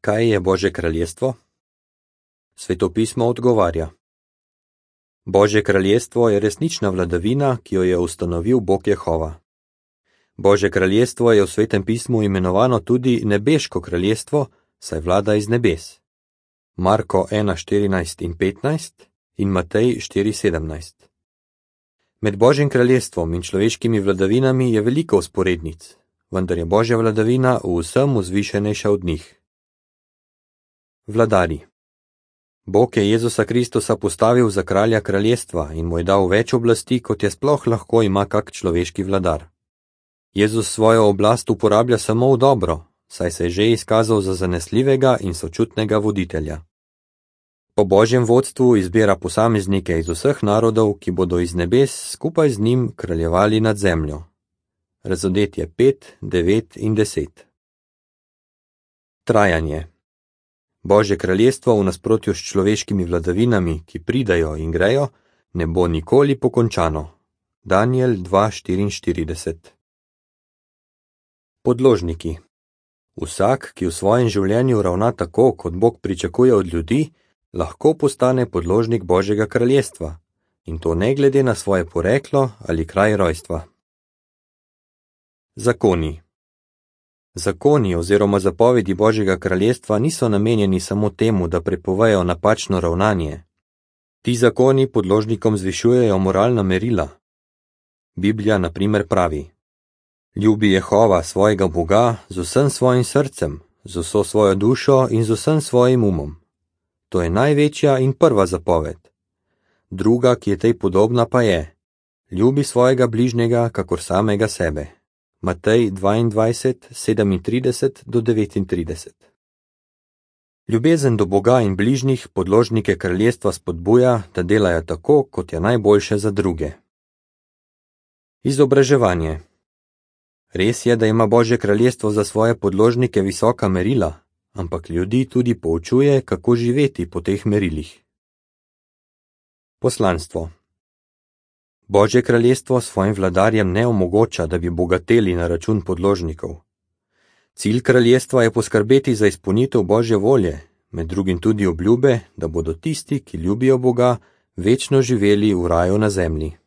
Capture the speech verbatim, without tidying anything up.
Kaj je Božje kraljestvo? Svetopismo odgovarja. Božje kraljestvo je resnična vladavina, ki jo je ustanovil Bog Jehova. Božje kraljestvo je v Svetem pismu imenovano tudi nebeško kraljestvo, saj vlada iz nebes. Marko ena štirinajst in petnajst in Matej štiri sedemnajst. Med Božjim kraljestvom in človeškimi vladavinami je veliko vzporednic, vendar je Božja vladavina v vsem vzvišenejša od njih. Vladari. Bog je Jezusa Kristusa postavil za kralja kraljestva in mu je dal več oblasti, kot je sploh lahko ima kak človeški vladar. Jezus svojo oblast uporablja samo v dobro, saj se je že izkazal za zanesljivega in sočutnega voditelja. Po Božjem vodstvu izbira posameznike iz vseh narodov, ki bodo iz nebes skupaj z njim kraljevali nad zemljo. Razodetje pet, devet in deset. Trajanje. Božje kraljestvo v nasprotju s človeškimi vladavinami, ki pridajo in grejo, ne bo nikoli pokončano. Danijel dva štiriinštirideset. Podložniki. Vsak, ki v svojem življenju ravna tako, kot Bog pričakuje od ljudi, lahko postane podložnik Božjega kraljestva, in to ne glede na svoje poreklo ali kraj rojstva. Zakoni. Zakoni oziroma zapovedi Božjega kraljestva niso namenjeni samo temu, da prepovejo napačno ravnanje. Ti zakoni podložnikom zvišujejo moralna merila. Biblija na primer pravi: Ljubi Jehova svojega Boga z vsem svojim srcem, z vso svojo dušo in z vsem svojim umom. To je največja in prva zapoved. Druga, ki je tej podobna, pa je: ljubi svojega bližnjega kakor samega sebe. Matej dvaindvajset, sedemintrideset do devetintrideset. Ljubezen do Boga in bližnjih podložnike kraljestva spodbuja, da delajo tako, kot je najboljše za druge. Izobraževanje. Res je, da ima Božje kraljestvo za svoje podložnike visoka merila, ampak ljudi tudi poučuje, kako živeti po teh merilih. Poslanstvo. Božje kraljestvo svojim vladarjem ne omogoča, da bi bogateli na račun podložnikov. Cilj kraljestva je poskrbeti za izpolnitev Božje volje, med drugim tudi obljube, da bodo tisti, ki ljubijo Boga, večno živeli v raju na zemlji.